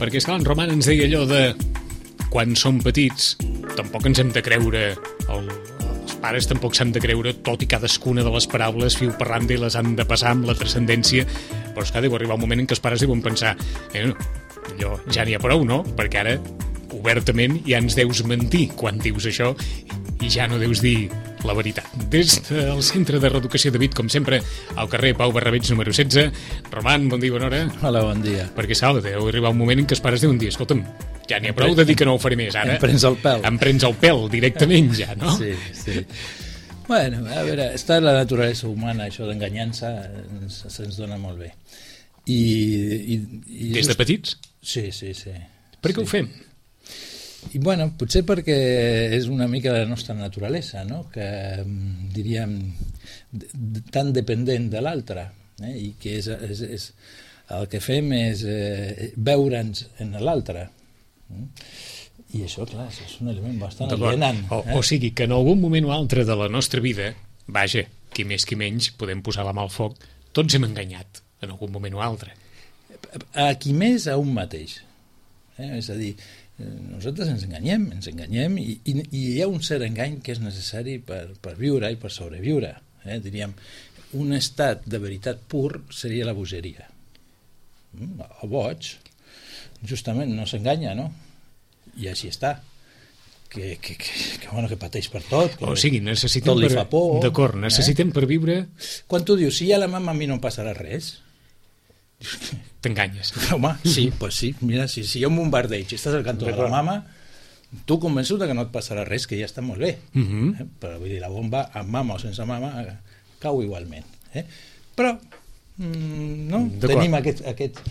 Perquè, esclar, en Roman ens deia allò de quan som petits tampoc ens hem de creure els pares tampoc s'han de creure tot i cadascuna de les paraules fil per randa i les han de passar amb la transcendència, però és que deu arribar un moment en què els pares deuen pensar allò ja n'hi ha prou, no? Perquè ara obertament ja ens deus mentir quan dius això i ja no deus dir la veritat. Des del Centre de Reeducació de Vic, com sempre, al carrer Pau Barrabeig número 16. Roman, bon dia, bona hora. Hola, bon dia. Perquè, Sal, deu arribar un moment en què els pares deuen dir, escolta'm, ja n'hi ha prou de dir que no ho faré més, ara. Em prens el pèl. Em prens el pèl directament, ja, no? Sí, sí. Bueno, a veure, està en la naturalesa humana, això d'enganyar-se se'ns dona molt bé. Des de petits? Sí. Per què ho fem? I bueno, potser perquè és una mica la nostra naturalesa, no? Que diríem tan dependent de l'altre, i que el que fem és veure'ns en l'altre. I això, clar, és un element bastant alienant. O sigui, que en algun moment o altre de la nostra vida, vaja, qui més qui menys, podem posar la mà al foc, tots hem enganyat en algun moment o altre. A qui més, a un mateix. És a dir, nosaltres ens enganyem i hi ha un cert engany que és necessari per viure i per sobreviure. Diríem, un estat de veritat pur seria la bogeria. El boig, justament, no s'enganya, no? I així està. Que pateix per tot. O sigui, necessitem tot li fa por. D'acord, necessitem per viure... Quan tu dius, si hi ha la mama, a mi no em passarà res... T'enganyes. Home, sí, pues sí. Mira, si hi ha un bombardeig i estàs al cantó de la mama, tu convençut que no et passarà res, que ja està molt bé. Però vull dir, la bomba, amb mama o sense mama, cau igualment. Però no? Tenim aquest...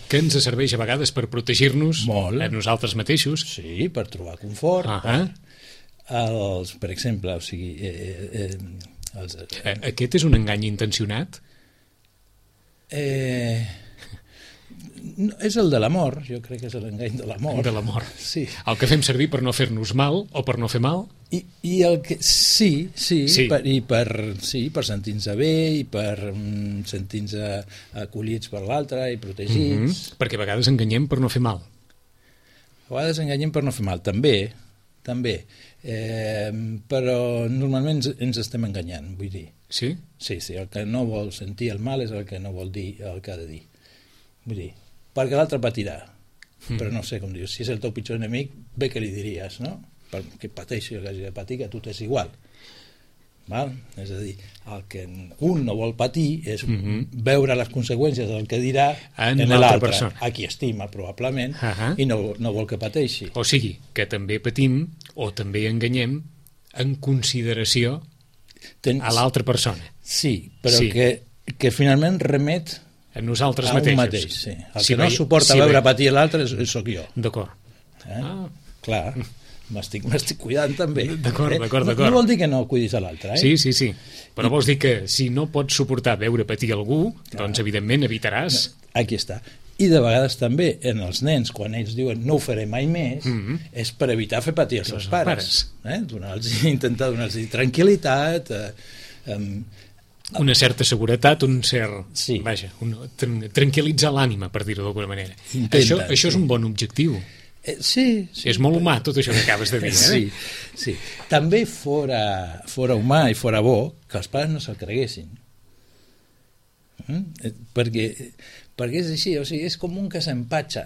Que ens serveix a vegades per protegir-nos a nosaltres mateixos. Sí, per trobar confort. Per exemple, o sigui... Aquest és un engany intencionat? És el de l'amor, jo crec que és l'engany de l'amor. De l'amor. Sí. El que fem servir per no fer-nos mal o per no fer mal? I el que... Sí. Per sentir-nos bé i per sentir-nos acollits per l'altre i protegits. Perquè a vegades enganyem per no fer mal. A vegades enganyem per no fer mal, també. Però normalment ens estem enganyant, vull dir. Sí? Sí, el que no vol sentir el mal és el que no vol dir el que ha de dir. Vull dir, perquè l'altre patirà. Però no sé com dius, si és el teu pitjor enemic, bé que li diries, no? Perquè pateixi el que hagi de patir, que a tu t'és igual. Val? És a dir, el que un no vol patir és veure les conseqüències del que dirà en l'altre, a qui estima probablement, i no vol que pateixi. O sigui, que també patim o també enganyem en consideració a l'altra persona. Sí, però que finalment remet a nosaltres mateixos. Sí. El que no suporta veure patir l'altre sóc jo. D'acord. Clar, m'estic cuidant també. D'acord. No vol dir que no cuidis a l'altre. Sí. Però vols dir que si no pots suportar veure patir algú, doncs evidentment evitaràs... Aquí està. I de vegades també en els nens, quan ells diuen no ho faré mai més, és per evitar fer patir els seus pares. Intentar donar-los tranquil·litat, una certa seguretat, un cert... Sí. Vaja, tranquil·litzar l'ànima, per dir-ho d'alguna manera. Això és un bon objectiu. Sí. És molt humà, tot això que acabes de dir. Sí. També fora humà i fora bo que els pares no se'l creguessin. Perquè és així, o sigui, és com un que s'empatxa,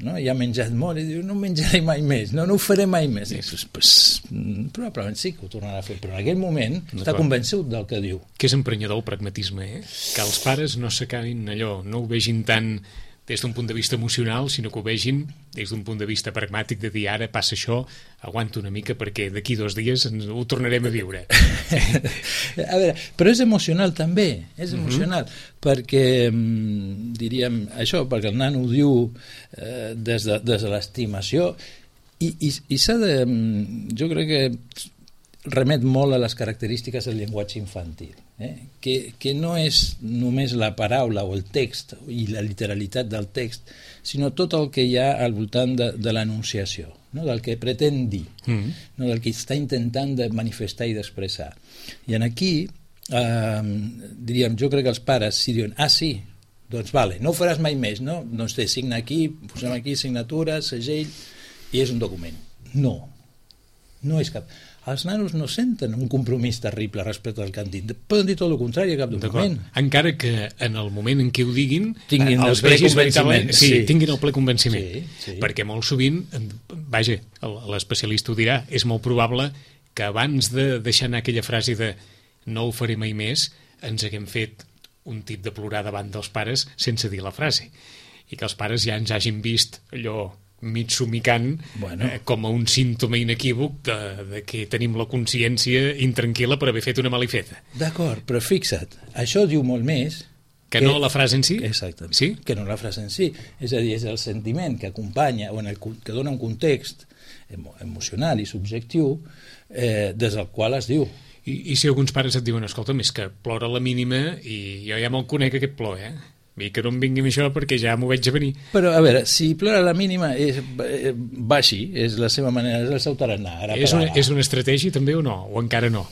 no? I ha menjat molt i diu, no menjaré mai més, no ho faré mai més. Probablement sí que ho tornarà a fer, però en aquell moment està convençut del que diu. Que és emprenyador el pragmatisme, que els pares no s'acabin allò, no ho vegin tant des d'un punt de vista emocional, sinó que ho vegin des d'un punt de vista pragmàtic, de dir ara passa això, aguanta una mica perquè d'aquí 2 dies ho tornarem a viure. A veure, però és emocional també, és emocional, perquè diríem això, perquè el nano ho diu des de l'estimació i s'ha de... Jo crec que remet molt a les característiques del llenguatge infantil, que no és només la paraula o el text i la literalitat del text, sinó tot el que hi ha al voltant de l'enunciació, no? Del que pretén dir, no? Del que està intentant de manifestar i d'expressar. I aquí, diríem, jo crec que els pares, si diuen, sí, doncs vale, no ho faràs mai més, no? Doncs signa aquí, posem aquí signatura, segell, i és un document. No és cap... Els nanos no senten un compromís terrible respecte al que han dit. Poden dir tot el contrari a cap document. Encara que en el moment en què ho diguin tinguin el ple convenciment. Tinguin el ple convenciment. Sí. Perquè molt sovint, vaja, l'especialista ho dirà, és molt probable que abans de deixar anar aquella frase de no ho faré mai més, ens haguem fet un tip de plorar davant dels pares sense dir la frase. I que els pares ja ens hagin vist allò mig somicant com a un símptoma inequívoc de que tenim la consciència intranquil·la per haver fet una malifeta. D'acord, però fixa't, això diu molt més que no la frase en si? Exactament, sí? Que no la frase en si. És a dir, és el sentiment que acompanya o que dona un context emocional i subjectiu des del qual es diu. I si alguns pares et diuen, escolta, més que plora la mínima i jo ja me'l conec aquest plor, I que no em vingui amb això perquè ja m'ho veig a venir. Però, a veure, si plora la mínima va així, és la seva manera, és el seu tarannà. És una estratègia també o no? O encara no?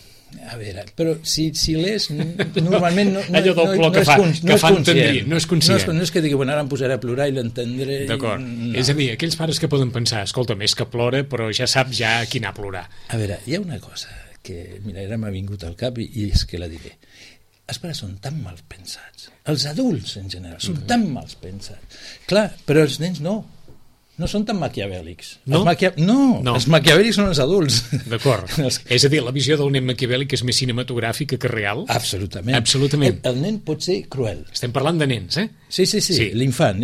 A veure, però si l'és, normalment no allò del plor que fa entendrir, no és conscient. No és que digui, bueno, ara em posaré a plorar i l'entendré. D'acord. No. És a dir, aquells pares que poden pensar, escolta, més que plora, però ja sap ja a qui anar a plorar. A veure, hi ha una cosa que, mira, ara m'ha vingut al cap i és que la diré. Els pares són tan mal pensats. Els adults, en general, són tan mal pensats. Clar, però els nens no. No són tan maquiavèlics. No? Els maquiavèlics són els adults. D'acord. És a dir, la visió del nen maquiavèlic és més cinematogràfica que real? Absolutament. El nen pot ser cruel. Estem parlant de nens, Sí. L'infant.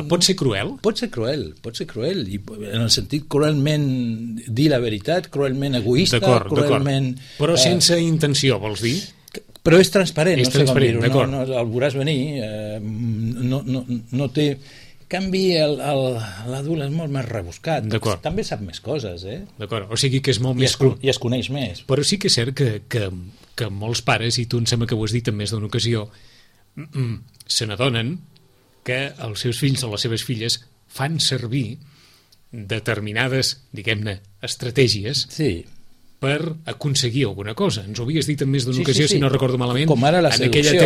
Pot ser cruel? Pot ser cruel. I en el sentit cruelment dir la veritat, cruelment egoista, cruelment... Però sense intenció, vols dir? Però és transparent, no sé com dir-ho. No, el veuràs venir, no té... En canvi, l'adult és molt més rebuscat. També sap més coses, D'acord, o sigui que és molt més... I es coneix més. Però sí que és cert que molts pares, i tu em sembla que ho has dit en més d'una ocasió, se n'adonen que els seus fills o les seves filles fan servir determinades, diguem-ne, estratègies per aconseguir alguna cosa. Ens ho havies dit en més d'una ocasió, si no recordo malament. Com ara la seducció.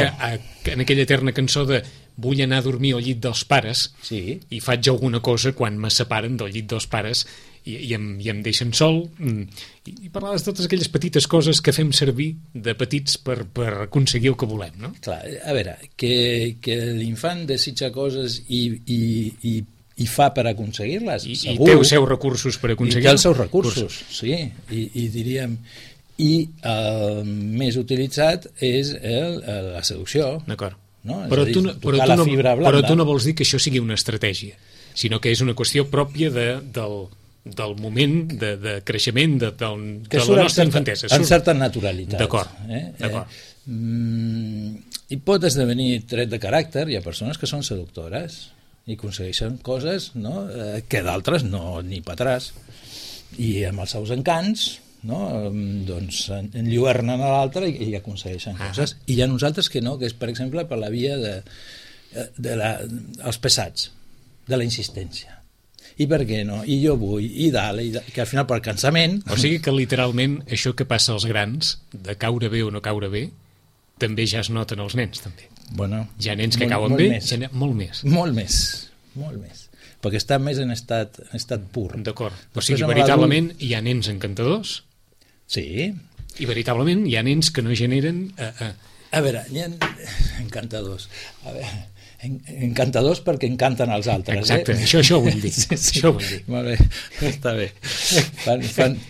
En aquella eterna cançó de vull anar a dormir al llit dels pares i faig alguna cosa quan me separen del llit dels pares i em deixen sol. I parlaves de totes aquelles petites coses que fem servir de petits per aconseguir el que volem, no? Clar, a veure, que l'infant desitja coses i fa per aconseguir-les, segur. I té els seus recursos per aconseguir-les. I té els seus recursos, sí. I diríem... I el més utilitzat és la seducció. D'acord. No? Però tu no vols dir que això sigui una estratègia, sinó que és una qüestió pròpia del moment de creixement de la nostra infantesa. En certa naturalitat. D'acord. I pot esdevenir tret de caràcter. Hi ha persones que són seductores i aconsegueixen coses que d'altres no, ni patràs. I amb els seus encants doncs enlluernen a l'altre i aconsegueixen coses. I hi ha nosaltres que no, que és per exemple per la via dels pesats, de la insistència. I per què no? I jo vull, i dalt, que al final per cansament... O sigui que literalment això que passa als grans, de caure bé o no caure bé, també ja es noten els nens, també. Bueno, hi ha nens que cauen bé, molt més. Molt més. Perquè està més en estat pur. D'acord. O sigui, veritablement hi ha nens encantadors. Sí. I veritablement hi ha nens que no generen... A veure, hi ha encantadors. A veure, encantadors perquè encanten als altres. Exacte, això ho vull dir. Això ho vull dir. Molt bé, està bé.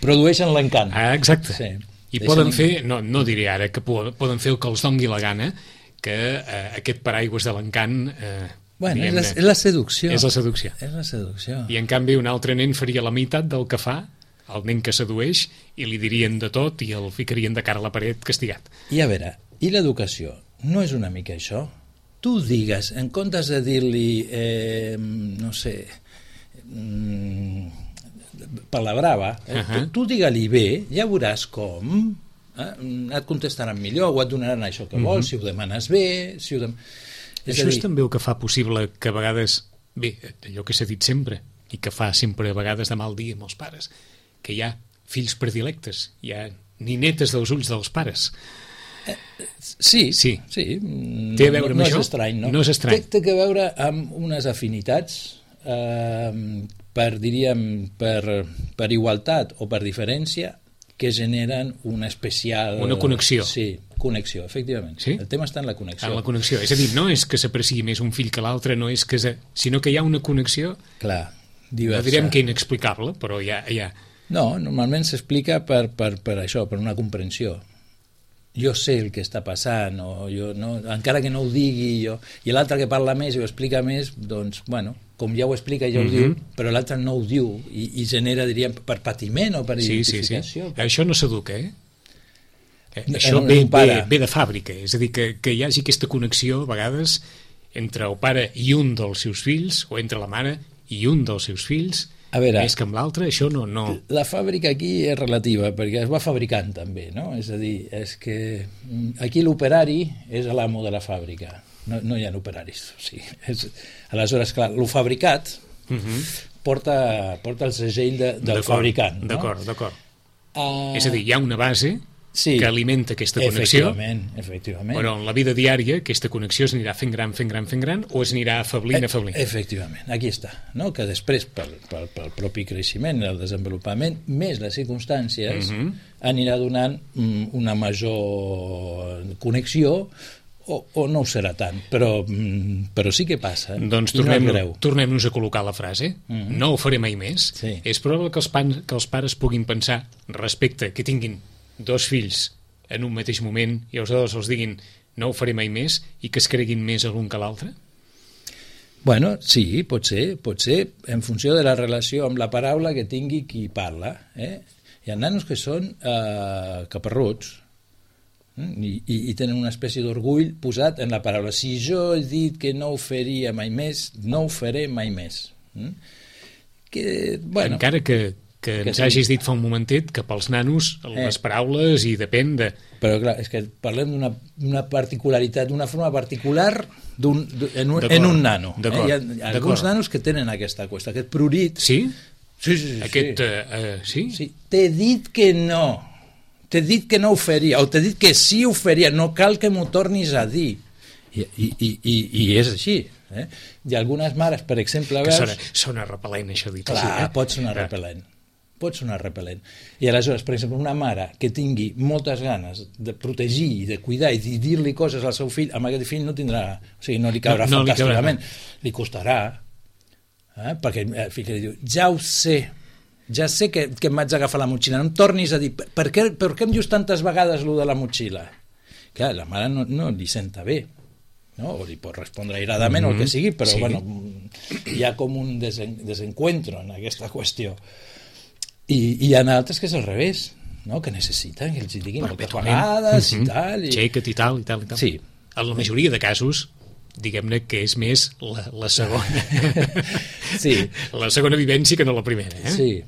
Produeixen l'encant. Exacte. Sí. I poden fer, no diré ara que poden fer el que els dongui la gana, que aquest paraigües de l'encant... Bueno, és la seducció. És la seducció. I en canvi un altre nen faria la meitat del que fa el nen que sedueix i li dirien de tot i el ficarien de cara a la paret castigat. I a veure, i l'educació? No és una mica això? Tu digues, en comptes de dir-li, no sé, per la brava, tu digue-li bé, ja veuràs com, et contestaran millor o et donaran això que vols, si ho demanes bé, Això és també el que fa possible que a vegades, bé, allò que s'ha dit sempre, i que fa sempre a vegades de mal dia amb els pares, que hi ha fills predilectes, hi ha ninetes dels ulls dels pares. Sí. Té a veure amb això? No és estrany, no? No és estrany. Té a veure amb unes afinitats per igualtat o per diferència que generen una especial... Una connexió. Sí, connexió, efectivament. Sí? El tema està en la connexió. En la connexió. És a dir, no és que s'apreciï més un fill que l'altre, no és que sinó que hi ha una connexió, clar, diversa. No direm que inexplicable, però hi ha... No, normalment s'explica per això, per una comprensió. Jo sé el que està passant, o jo no, encara que no ho digui jo, i l'altre que parla més i ho explica més, doncs, bueno, com ja ho explica ja ho diu, però l'altre no ho diu i genera, diríem, per patiment o per identificació. Sí. Això no s'educa, Això ve de fàbrica, és a dir, que hi hagi aquesta connexió a vegades entre el pare i un dels seus fills, o entre la mare i un dels seus fills, a veure, més que amb l'altre, això no... La fàbrica aquí és relativa, perquè es va fabricant també, no? És a dir, és que aquí l'operari és l'amo de la fàbrica, no hi ha operaris. O sigui, aleshores, clar, el fabricat porta el segell del fabricant. D'acord. És a dir, hi ha una base que alimenta aquesta connexió, efectivament. Però en la vida diària aquesta connexió es anirà fent gran, o es anirà afeblint. Efectivament, aquí està, no? Que després pel propi creixement, el desenvolupament, més les circumstàncies, anirà donant una major connexió o no ho serà tant, però sí que passa. Doncs tornem-nos a col·locar la frase. No ho faré mai més. Sí. És probable que els pares puguin pensar respecte que tinguin dos fills en un mateix moment i els dos els diguin no ho faré mai més i que es creguin més l'un que l'altre? Bueno, sí, pot ser en funció de la relació amb la paraula que tingui qui parla. Hi ha nanos que són caparruts i tenen una espècie d'orgull posat en la paraula. Si jo he dit que no ho faria mai més, no ho faré mai més. Encara que ens hagis dit fa un momentet que pels nanos les paraules i depèn de... Però clar, és que parlem d'una particularitat, d'una forma particular en un nano. Hi ha alguns nanos que tenen aquesta qüestió, aquest prurit. Sí? Sí. Sí? T'he dit que no. T'he dit que no ho faria, o t'he dit que sí ho faria, no cal que m'ho tornis a dir. I és així. Hi ha algunes mares, per exemple... Sona repel·lent, això dit. Clar, pot sonar repel·lent. I aleshores, per exemple, una mare que tingui moltes ganes de protegir i de cuidar i de dir-li coses al seu fill, amb aquest fill no tindrà, o sigui, no li caurà fantàsticament, li costarà, perquè el fill li diu, ja sé que em vaig agafar la motxilla, no em tornis a dir, per què em dius tantes vegades allò de la motxilla? Clar, la mare no li senta bé, no? O li pot respondre airadament o el que sigui, però bueno, hi ha com un desencuentro en aquesta qüestió. I hi ha altres que és al revés, no? Que necessiten que els diguin moltes vegades i tal. Xeca't i tal. Sí. En la majoria de casos, diguem-ne que és més la segona. Sí. La segona vivència que no la primera. Sí.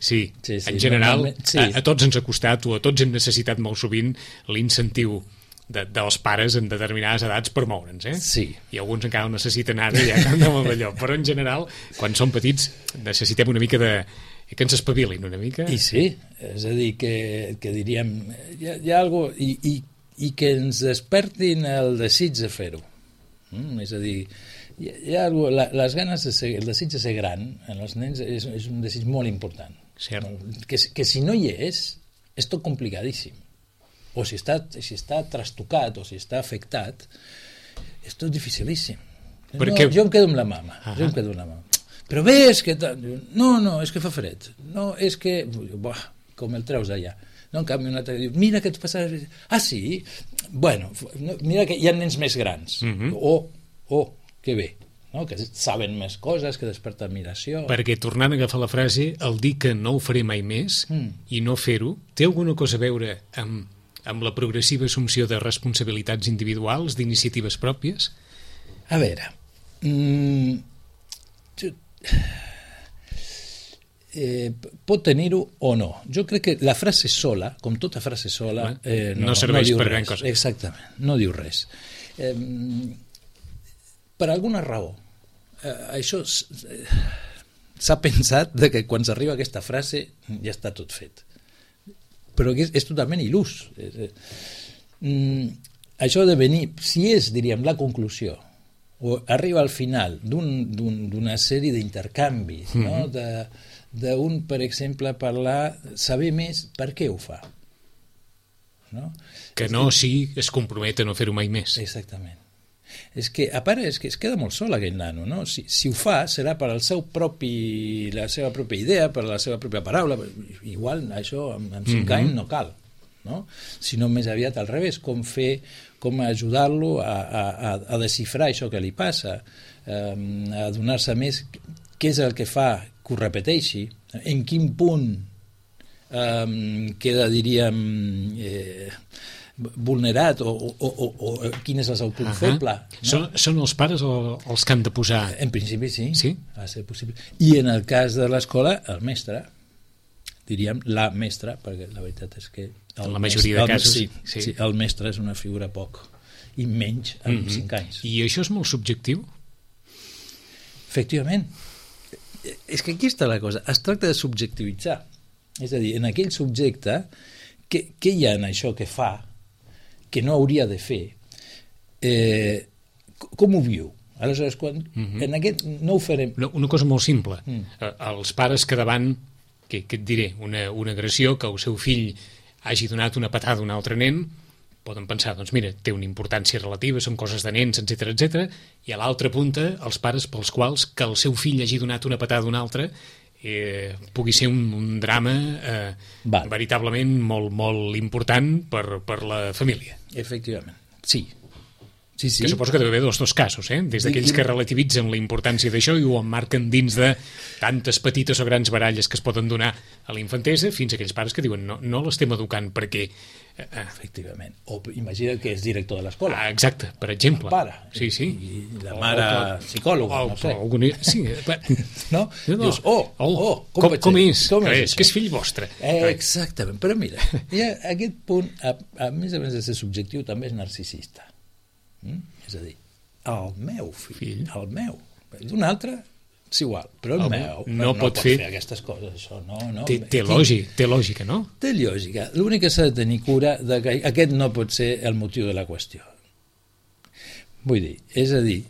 En general, a tots ens ha costat o a tots hem necessitat molt sovint l'incentiu dels pares en determinades edats per moure'ns, Sí. I alguns encara ho necessiten ara, ja no allò. Però en general, quan som petits, necessitem una mica que ens espavilin una mica. I sí, és a dir, que diríem, hi ha alguna cosa, i que ens despertin el desig de fer-ho. És a dir, hi ha alguna cosa, les ganes el desig de ser gran en els nens és un desig molt important. Cert. Que si no hi és tot complicadíssim. O si està trastocat o si està afectat, és tot dificilíssim. Jo em quedo amb la mama. Però ves que... No, és que fa fred. No, és que... com el treus d'allà. No, en canvi, un altre diu, mira que et passa... Ah, sí? Bueno, mira que hi ha nens més grans. Que bé. No? Que saben més coses, que desperten admiració. Perquè, tornant a agafar la frase, el dir que no ho faré mai més i no fer-ho, té alguna cosa a veure amb la progressiva assumpció de responsabilitats individuals, d'iniciatives pròpies? A veure... pot tenir-ho o no. Jo crec que la frase sola, com tota frase sola, no serveix per gran cosa. Exactament, no diu res. Per alguna raó, això s'ha pensat que quan s'arriba a aquesta frase ja està tot fet. Però és totalment il·lús. això de venir, si és, diríem, la conclusió, o arriba al final d'una sèrie d'intercanvis, no? D'un, per exemple, saber més per què ho fa. No? Que no es compromet a no fer-ho mai més. Exactament. És que, a part, és que es queda molt sol aquell nano, no? Si ho fa, serà per la seva pròpia idea, per la seva pròpia paraula. Igual això amb 5 anys no cal, no? Sinó més aviat al revés, com ajudar-lo a desxifrar això que li passa, a donar-se més què és el que fa que ho repeteixi, en quin punt queda, diríem, vulnerat o quin és el seu punt feble. No? Són els pares els que han de posar... En principi sí, sí? Ha de ser possible. I en el cas de l'escola, el mestre, diríem la mestra, perquè la veritat és que en la majoria de casos sí, el mestre és una figura poc i menys amb 5 anys. I això és molt subjectiu? Efectivament. És que aquí està la cosa. Es tracta de subjectivitzar. És a dir, en aquell subjecte, què hi ha en això que fa que no hauria de fer? Com ho viu? Aleshores, quan en aquest no ho farem... Una cosa molt simple. Els pares que davant, que et diré, una agressió, que el seu fill hagi donat una patada a un altre nen, poden pensar, doncs mira, té una importància relativa, són coses de nens, etc. I a l'altra punta, els pares pels quals que el seu fill hagi donat una patada a un altre pugui ser un drama veritablement molt, molt important per la família. Efectivament, sí. Que suposo que deu haver dos casos, des d'aquells que relativitzen la importància d'això i ho emmarquen dins de tantes petites o grans baralles que es poden donar a la infantesa, fins a aquells pares que diuen no l'estem educant perquè... Efectivament. O imagina que és director de l'escola. Exacte, per exemple. El pare. Sí. I la mare psicòloga, no sé. Sí, no? Dius, com és? Que és fill vostre. Exactament. Però mira, aquest punt, a més de ser subjectiu, també és narcisista. És a dir, el meu fill, el meu, d'un altre és igual, però el meu no pot fer aquestes coses, això no. Té lògica, no? Té lògica. L'únic que s'ha de tenir cura de que aquest no pot ser el motiu de la qüestió. Vull dir, és a dir,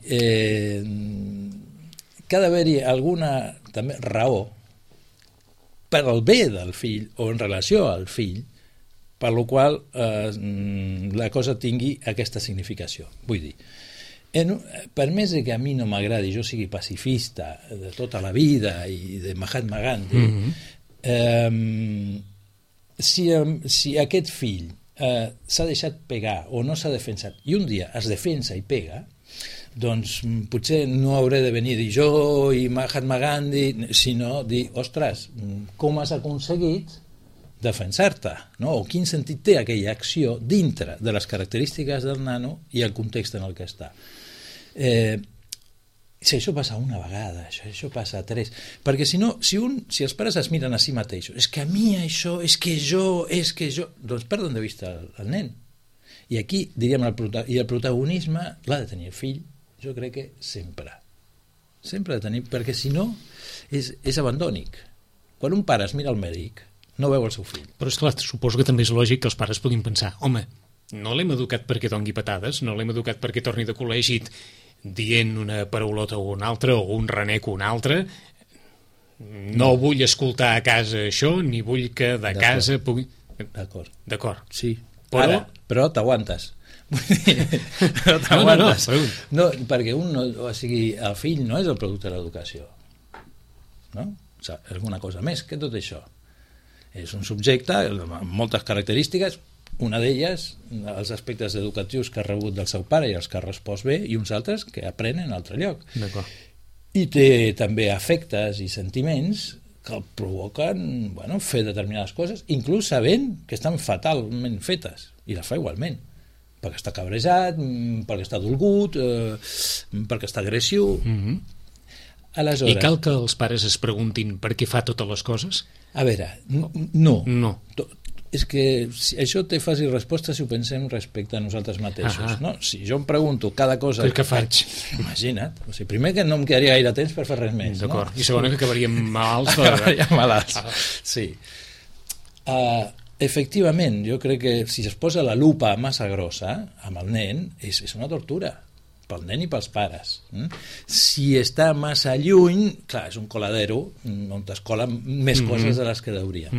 que ha d'haver-hi alguna també raó per al bé del fill o en relació al fill, per la qual la cosa tingui aquesta significació. Vull dir, per més que a mi no m'agradi, jo sigui pacifista de tota la vida i de Mahatma Gandhi, si aquest fill s'ha deixat pegar o no s'ha defensat i un dia es defensa i pega, doncs potser no hauré de venir a dir jo i Mahatma Gandhi, sinó dir, ostres, com has aconseguit defensar-te, no? O quin sentit té aquella acció dintre de les característiques del nano i el context en el que està. Si això passa una vegada, això passa 3, perquè si no, si els pares es miren a si mateixos, és que a mi això, és que jo, doncs perden de vista el nen. I aquí, diríem, el protagonisme l'ha de tenir el fill, jo crec que sempre ha de tenir, perquè si no és abandònic. Quan un pare es mira al mèdic, no veu el seu fill. Però esclar, suposo que també és lògic que els pares puguin pensar, home, no l'hem educat perquè dongui patades, no l'hem educat perquè torni de col·legi dient una paraulota o una altra, o un renec o una altra, no vull escoltar a casa això, ni vull que de casa pugui... D'acord. Sí, però t'aguantes. Però t'aguantes. No, perquè o sigui, el fill no és el producte de l'educació, no? O sigui, alguna cosa més que tot això. És un subjecte amb moltes característiques, una d'elles els aspectes educatius que ha rebut del seu pare i els que ha respost bé, i uns altres que aprenen en altre lloc. I té també afectes i sentiments que el provoquen fer determinades coses, inclús sabent que estan fatalment fetes, i les fa igualment, perquè està cabrejat, perquè està dolgut, perquè està agressiu. Aleshores, I cal que els pares es preguntin per què fa totes les coses? A veure, no. És que això té fàcil resposta si ho pensem respecte a nosaltres mateixos. No? Si jo em pregunto cada cosa... Què faig? Imagina't. O sigui, primer que no em quedaria gaire temps per fer res més. D'acord. I segona que acabaríem malalts. Acabaríem malalts. Sí. Efectivament, jo crec que si es posa la lupa massa grossa amb el nen, és una tortura pel nen i pels pares. Si està massa lluny, clar, és un coladero on es colen més coses de les que hauria.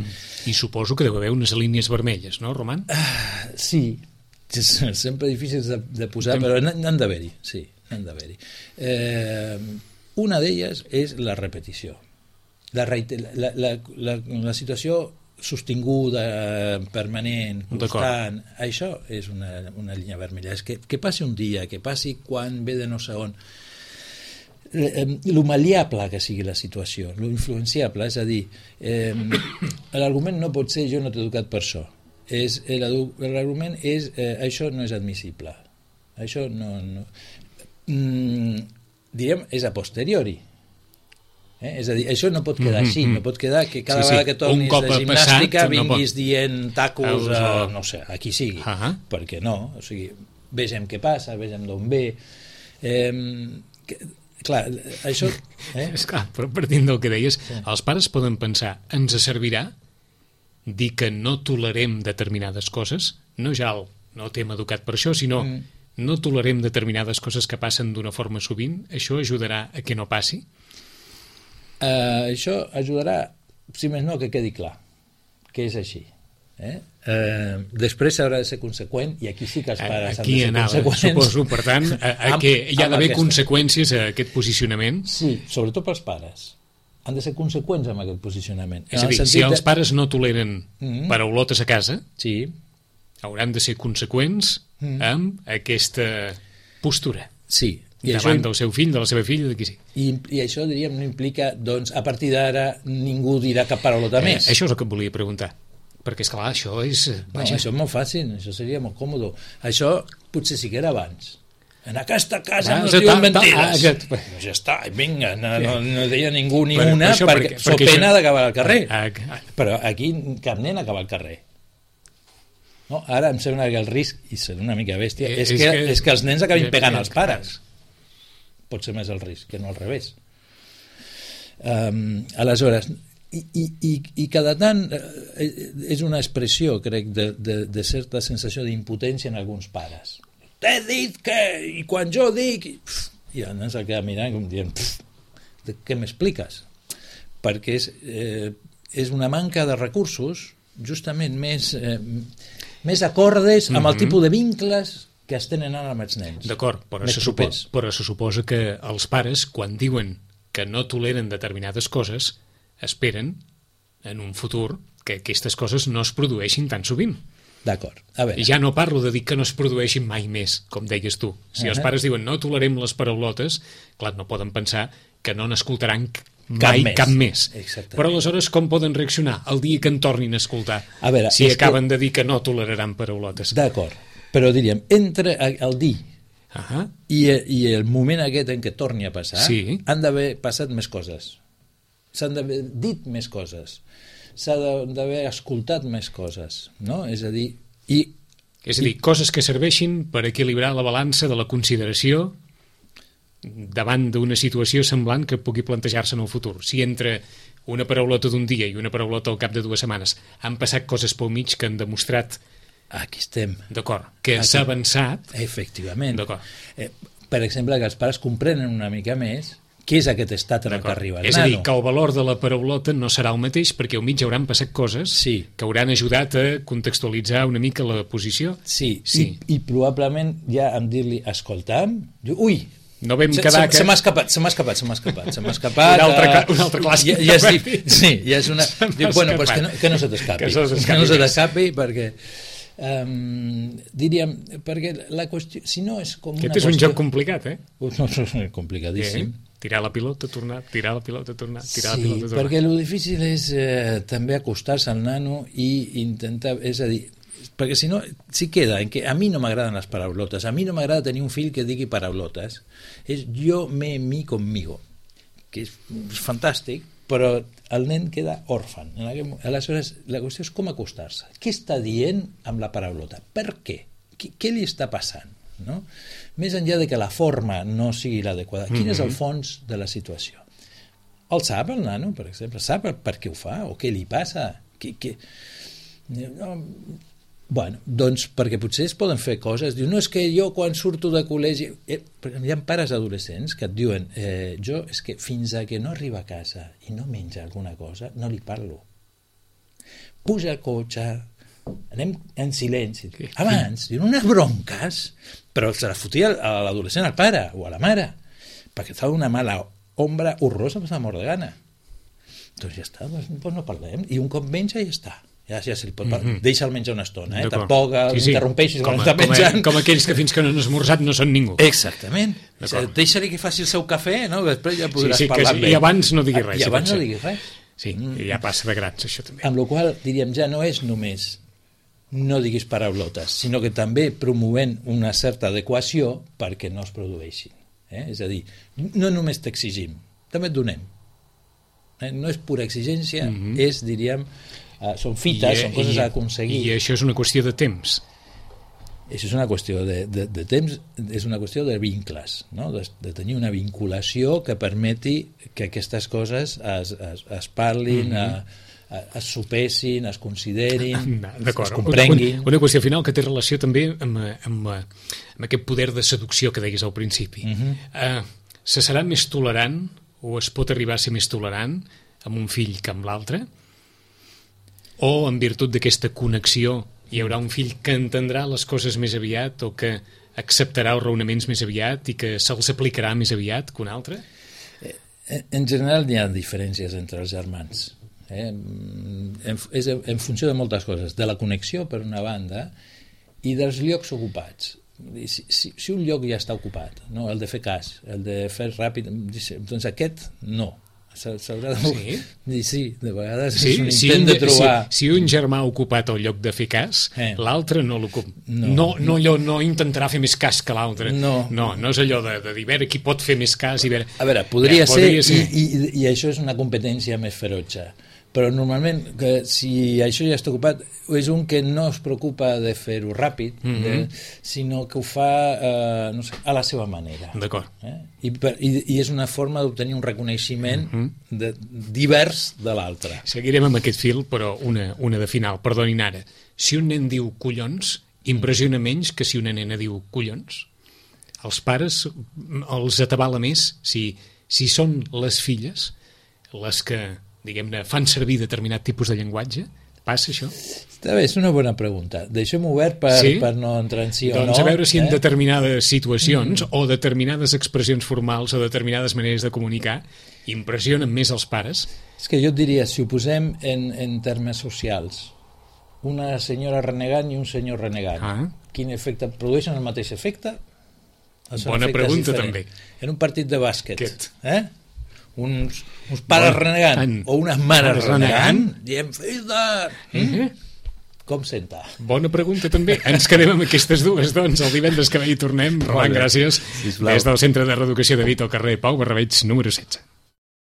I suposo que deu haver unes línies vermelles, no, Roman? Sí, sempre difícils de posar, però n'han d'haver-hi, sí, n'han d'haver-hi. Una d'elles és la repetició. La situació sostinguda, permanent, constant, això és una línia vermella. És que passi un dia, que passi quan ve de no sé on, lo mal·leable que sigui la situació, lo influenciable, és a dir, l'argument no pot ser jo no t'he educat per això. L'argument és això no és admissible. Això no diríem, és a posteriori. És a dir, això no pot quedar així, no pot quedar que cada vegada que tornis de gimnàstica vinguis dient tacos no sé, a qui sigui, perquè no, o sigui, vegem què passa, vegem d'on ve, clar, això és clar, però partint del que deies, els pares poden pensar, ens servirà dir que no tolerem determinades coses, no ja no t'hem educat per això, sinó no tolerem determinades coses que passen d'una forma sovint, això ajudarà a que no passi? Això ajudarà, si més no, que quedi clar que és així. Després s'haurà de ser conseqüent, i aquí sí que els pares han de ser conseqüents. Suposo, per tant, que hi ha d'haver conseqüències a aquest posicionament. Sí, sobretot pels pares. Han de ser conseqüents amb aquest posicionament. És a dir, si els pares no toleren paraulotes a casa, hauran de ser conseqüents amb aquesta postura. Sí. Davant del seu fill, de la seva filla, de qui sí. I això, diríem, no implica, doncs, a partir d'ara ningú dirà cap paraulota més. Això és el que et volia preguntar. Perquè, esclar, això és... No, això és molt fàcil, això seria molt còmode. Això potser sí que era abans. En aquesta casa no es diuen mentides. Ja està, vinga, no deia ningú ni una, perquè so pena d'acabar al carrer. Però aquí cap nen acaba al carrer. No, ara em sembla que el risc, i serà una mica bèstia, és que els nens acabin pegant als pares. Pot ser més el risc, que no al revés. Aleshores, i cada tant és una expressió, crec, de certa sensació d'impotència en alguns pares. T'he dit que, i quan jo dic... I el nen se'l queda mirant com dient, què m'expliques? Perquè és una manca de recursos justament més acordes amb el tipus de vincles que es tenen ara amb els nens. D'acord, però se suposa que els pares, quan diuen que no toleren determinades coses, esperen en un futur que aquestes coses no es produeixin tan sovint. D'acord. A veure. Ja no parlo de dir que no es produeixin mai més, com deies tu. Si els pares diuen no tolerem les paraulotes, clar, no poden pensar que no n'escoltaran mai cap més. Però aleshores com poden reaccionar el dia que en tornin a escoltar si acaben de dir que no toleraran paraulotes? D'acord. Però diríem, entre el dir i el moment aquest en què torni a passar, han d'haver passat més coses. S'han d'haver dit més coses. S'ha d'haver escoltat més coses. No? És a dir, coses que serveixin per equilibrar la balança de la consideració davant d'una situació semblant que pugui plantejar-se en el futur. Si entre una paraulota d'un dia i una paraulota al cap de 2 setmanes han passat coses pel mig que han demostrat aquí estem. D'acord, que s'ha avançat. Efectivament. Per exemple, que els pares comprenen una mica més què és aquest estat en el que arriba el nano. És a dir, que el valor de la paraulota no serà el mateix perquè al mig hauran passat coses que hauran ajudat a contextualitzar una mica la posició. Sí. I probablement ja en dir-li escolta'm, ui, no vam quedar se m'ha escapat un altre clàssic ja és una... Bueno, pues que no se t'escapi perquè diríem, perquè la qüestió, si no és com una qüestió... Aquest és un joc complicat, No, és complicadíssim. Tirar la pilota, tornar, tirar la pilota, tornar, tirar la pilota, tornar. Sí, perquè el difícil és també acostar-se al nano i intentar, és a dir, perquè si no, si queda en que a mi no m'agraden les paraulotes, a mi no m'agrada tenir un fill que digui paraulotes, és yo, me, mi, conmigo, que és fantàstic, però el nen queda òrfan. Aleshores, la qüestió és com acostar-se. Què està dient amb la paraulota? Per què? Què li està passant? No? Més enllà de que la forma no sigui l'adequada, quin és el fons de la situació? El sap, el nano, per exemple? Sap per què ho fa? O què li passa? No, bueno, doncs perquè potser es poden fer coses. Diu, no, és que jo quan surto de col·legi... Hi ha pares adolescents que et diuen jo és que fins a que no arriba a casa i no menja alguna cosa, no li parlo. Puja al cotxe, anem en silenci. Abans, diuen unes bronques, però se la fotia a l'adolescent, al pare o a la mare, perquè fa una mala ombra horrorosa per la mort de gana. Doncs ja està, doncs no parlem. I un cop menja ja està. Ja se li pot deixa'l menjar una estona, tampoc interrompeixis quan està menjant. Com aquells que fins que no han esmorzat no són ningú. Exactament. Deixa-li que faci el seu cafè, no? Després ja podràs parlar amb ell. I abans no diguis res. I abans no diguis res. Sí, ja passa de grans, això també. Amb la qual cosa, diríem, ja no és només no diguis paraulotes, sinó que també promovent una certa adequació perquè no es produeixin. És a dir, no només t'exigim, també et donem. No és pura exigència, és, diríem, són fites, són coses a aconseguir. I això és una qüestió de temps. Això és una qüestió de temps, és una qüestió de vincles, no? De tenir una vinculació que permeti que aquestes coses es parlin, es sopessin, es considerin, es comprenguin. Una qüestió final que té relació també amb aquest poder de seducció que deies al principi. Se serà més tolerant o es pot arribar a ser més tolerant amb un fill que amb l'altre? O en virtut d'aquesta connexió hi haurà un fill que entendrà les coses més aviat o que acceptarà els raonaments més aviat i que se'ls aplicarà més aviat que un altre? En general hi ha diferències entre els germans. És en funció de moltes coses, de la connexió per una banda i dels llocs ocupats. Si un lloc ja està ocupat, no? El de fer cas, el de fer ràpid, doncs aquest no. S'haurà de... Sí, de vegades és un intent de trobar... Si un germà ha ocupat el lloc de fer cas, l'altre no l'ocupa. No intentarà fer més cas que l'altre. No és allò de dir, a veure, qui pot fer més cas i veure... A veure, podria ser, i això és una competència més ferotge. Però normalment, si això ja està ocupat, és un que no es preocupa de fer-ho ràpid, sinó que ho fa a la seva manera. D'acord. I és una forma d'obtenir un reconeixement divers de l'altre. Seguirem amb aquest fil, però una de final. Perdonin ara. Si un nen diu collons, impressiona menys que si una nena diu collons? Els pares els atabala més si són les filles les que, diguem-ne, fan servir determinat tipus de llenguatge? Passa això? Està bé, és una bona pregunta. Deixem obert per no entrar en sí o no. Doncs a veure si en determinades situacions o determinades expressions formals o determinades maneres de comunicar impressionen més els pares. És que jo et diria, si ho posem en termes socials, una senyora renegant i un senyor renegant, quin efecte produeixen? El mateix efecte? Bona pregunta, també. En un partit de bàsquet, uns pares renegant o unes mares renegant, diem, fill de... Com senta? Bona pregunta, també. Ens quedem amb aquestes dues, doncs. El divendres que ve hi tornem. Roland, gràcies. Des del Centre de Reeducació de Vita al carrer Pau Barrabeig, número 16.